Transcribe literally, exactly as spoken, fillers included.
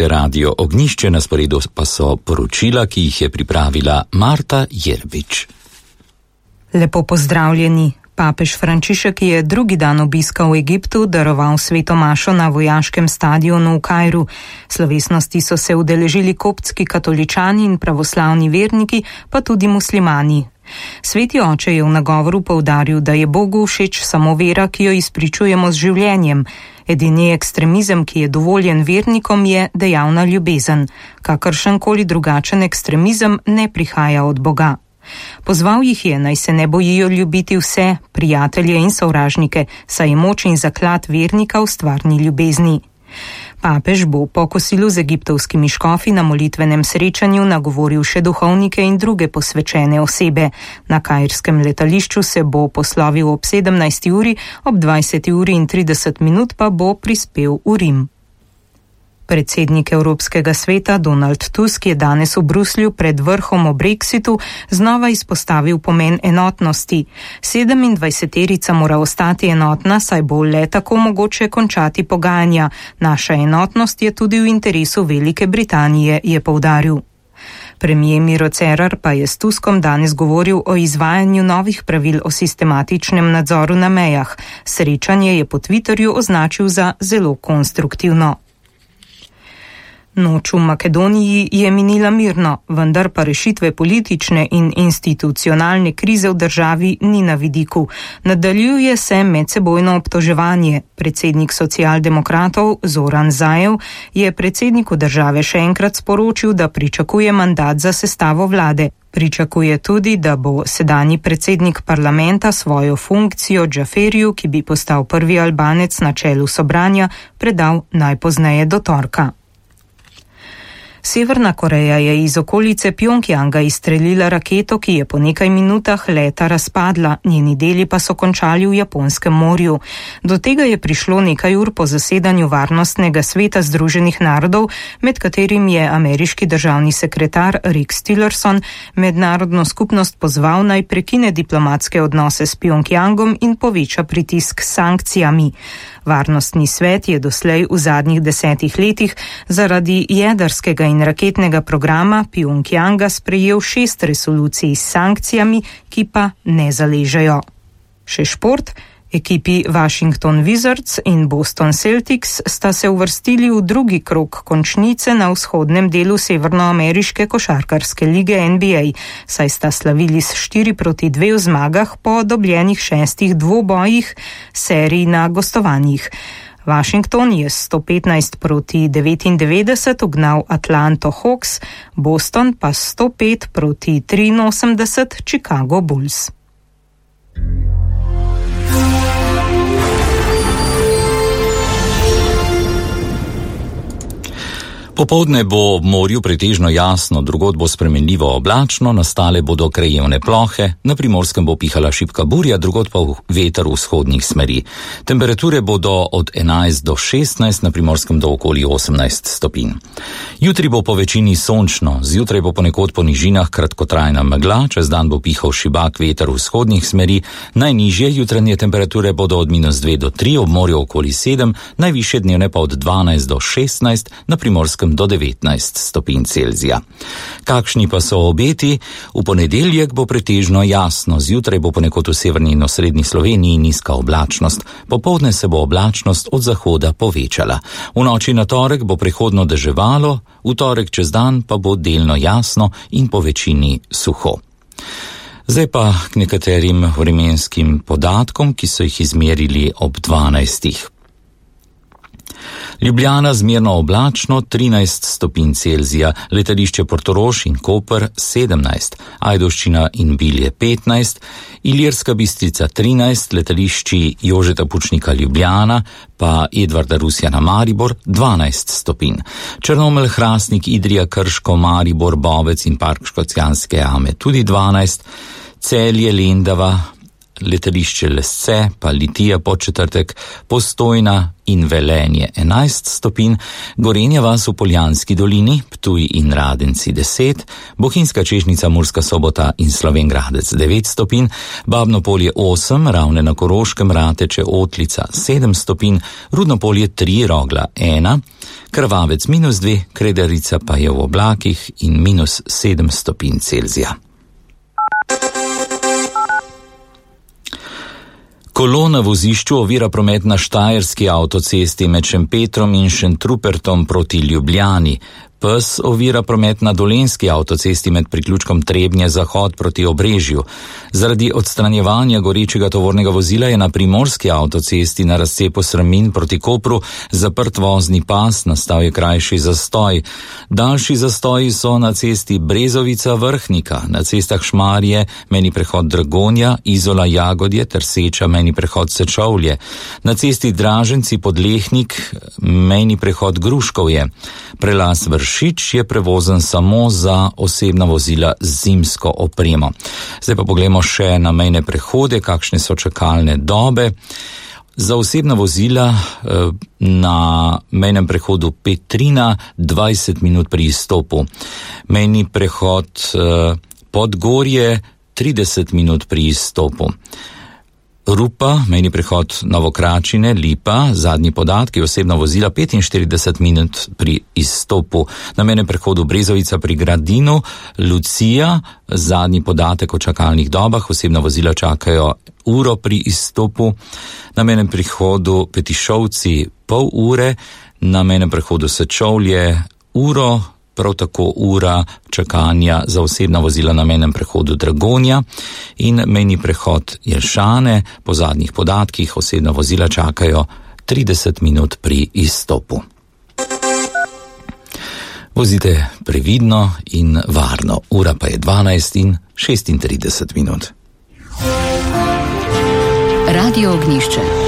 Radio Ognjišče, na sporedu pa so poročila, ki jih je pripravila Marta Jerbič. Lepo pozdravljeni. Papež Frančišek je drugi dan obiska v Egiptu daroval sveto mašo na vojaškem stadionu v Kairu. Slovesnosti so se udeležili koptski katoličani in pravoslavni verniki, pa tudi muslimani. Sveti oče je v nagovoru poudaril, da je Bogu všeč samo vera, ki jo izpričujemo z življenjem. Edini ekstremizem, ki je dovoljen vernikom, je dejavna ljubezen. Kakršenkoli drugačen ekstremizem ne prihaja od Boga. Pozval jih je, naj se ne bojijo ljubiti vse, prijatelje in sovražnike, saj je moč in zaklad vernika v stvarni ljubezni. Papež bo po kosilu z egiptovskimi škofi na molitvenem srečanju nagovoril še duhovnike in druge posvečene osebe. Na kairskem letališču se bo poslovil ob sedemnajsti uri, ob dvajseti uri in trideset minut pa bo prispel v Rim. Predsednik Evropskega sveta Donald Tusk je danes v Bruslju pred vrhom o Brexitu znova izpostavil pomen enotnosti. Sedemindvajseterica mora ostati enotna, saj bo le tako mogoče končati pogajanja. Naša enotnost je tudi v interesu Velike Britanije, je poudaril. Premier Miro Cerar pa je s Tuskom danes govoril o izvajanju novih pravil o sistematičnem nadzoru na mejah. Srečanje je po Twitterju označil za zelo konstruktivno. Noč v Makedoniji je minila mirno, vendar pa rešitve politične in institucionalne krize v državi ni na vidiku. Nadaljuje se medsebojno obtoževanje. Predsednik socialdemokratov Zoran Zaev je predsedniku države še enkrat sporočil, da pričakuje mandat za sestavo vlade. Pričakuje tudi, da bo sedanji predsednik parlamenta svojo funkcijo Džaferiju, ki bi postal prvi Albanec na čelu Sobranja, predal najpozneje do torka. Severna Koreja je iz okolice Pjongjanga izstrelila raketo, ki je po nekaj minutah leta razpadla, njeni deli pa so končali v Japonskem morju. Do tega je prišlo nekaj ur po zasedanju Varnostnega sveta Združenih narodov, med katerim je ameriški državni sekretar Rex Tillerson mednarodno skupnost pozval naj prekine diplomatske odnose s Pjongjangom in poveča pritisk s sankcijami. Varnostni svet je doslej v zadnjih desetih letih zaradi jedrskega in raketnega programa Pjongjanga sprejel šest resolucij s sankcijami, ki pa ne zaležejo. Še šport. Ekipi Washington Wizards in Boston Celtics sta se uvrstili v drugi krog končnice na vzhodnem delu severnoameriške košarkarske lige N B A, saj sta slavili s štiri proti dve v zmagah po dobljenih šestih dvobojih serij na gostovanjih. Washington je sto petnajst proti devetindevetdeset ugnal Atlanto Hawks, Boston pa sto pet proti triinosemdeset Chicago Bulls. Popoldne bo ob morju pretežno jasno, drugod bo spremenljivo oblačno, nastale bodo krajevne plohe, na Primorskem bo pihala šibka burja, drugod pa veter vzhodnih smeri. Temperature bodo od enajst do šestnajst, na Primorskem do okoli osemnajst stopinj. Jutri bo po večini sončno, zjutraj bo ponekod po nižinah kratkotrajna megla, čez dan bo pihal šibak veter vzhodnih smeri, najnižje jutranje temperature bodo od minus dve do tri, ob morju okoli sedem, najvišje dnevne pa od dvanajst do šestnajst, na Primorskem do devetnajst stopinj Celzija. Kakšni pa so obeti? V ponedeljek bo pretežno jasno, zjutraj bo ponekod v severni in osrednji Sloveniji nizka oblačnost, popoldne se bo oblačnost od zahoda povečala. V noči na torek bo prehodno deževalo, v torek čez dan pa bo delno jasno in po večini suho. Zdaj pa k nekaterim vremenskim podatkom, ki so jih izmerili ob dvanajstih. Ljubljana zmerno oblačno trinajst stopinj Celzija, letališče Portorož in Koper sedemnajst, Ajdovščina in Bilje petnajst, Ilirska Bistrica trinajst, letališči Jožeta Pučnika Ljubljana pa Edvarda Rusjana Maribor dvanajst stopinj. Črnomelj, Hrastnik, Idrija, Krško, Maribor, Bovec in Park Škocjanske jame tudi dvanajst, Celje, Lendava, letališče Lesce, pa Litija Podčetrtek, Postojna in Velenje enajst stopinj, Gorenja vas v Poljanski dolini, Ptuj in Radenci deset, Bohinjska Čežnica, Murska Sobota in Slovenj Gradec devet stopinj, Babno Polje osem, Ravne na Koroškem, Rateče, Otlica sedem stopinj, Rudno Polje tri, Rogla ena, Krvavec minus dve, Kredarica pa je v oblakih in minus sedem stopinj Celzija. Kolo na vozišču ovira promet na Štajerski avtocesti med Šempetrom in Šentrupertom proti Ljubljani. Pes ovira promet na Dolenjski avtocesti med priključkom Trebnje zahod proti Obrežju. Zaradi odstranjevanja gorečega tovornega vozila je na Primorski avtocesti na razcepu Srmin proti Kopru zaprt vozni pas, nastal je krajši zastoj. Daljši zastoji so na cesti Brezovica Vrhnika, na cestah Šmarje, mejni prehod Dragonja, Izola Jagodje ter Seča, mejni prehod Sečovlje. Na cesti Draženci Podlehnik, mejni prehod Gruškovje. Prelaz Vršič je prevozen samo za osebna vozila z zimsko opremo. Zdaj pa poglejmo še na mejne prehode, kakšne so čakalne dobe. Za osebna vozila na mejnem prehodu Petrina dvajset minut pri izstopu. Mejni prehod Podgorje trideset minut pri izstopu. Rupa, mejni prehod Novokračine, Lipa, zadnji podatki, osebna vozila petinštirideset minut pri izstopu. Na mejnem prehodu Brezovica pri Gradinu, Lucija, zadnji podatek o čakalnih dobah, osebna vozila čakajo uro pri izstopu. Na mejnem prehodu Petišovci pol ure, na mejnem prehodu Sečovlje uro, prav tako ura čakanja za osebna vozila na mejnem prehodu Dragonja in mejni prehod Jelšane, po zadnjih podatkih osebna vozila čakajo trideset minut pri izstopu. Vozite previdno in varno, ura pa je dvanajst in šestintrideset minut. Radio Ognjišče.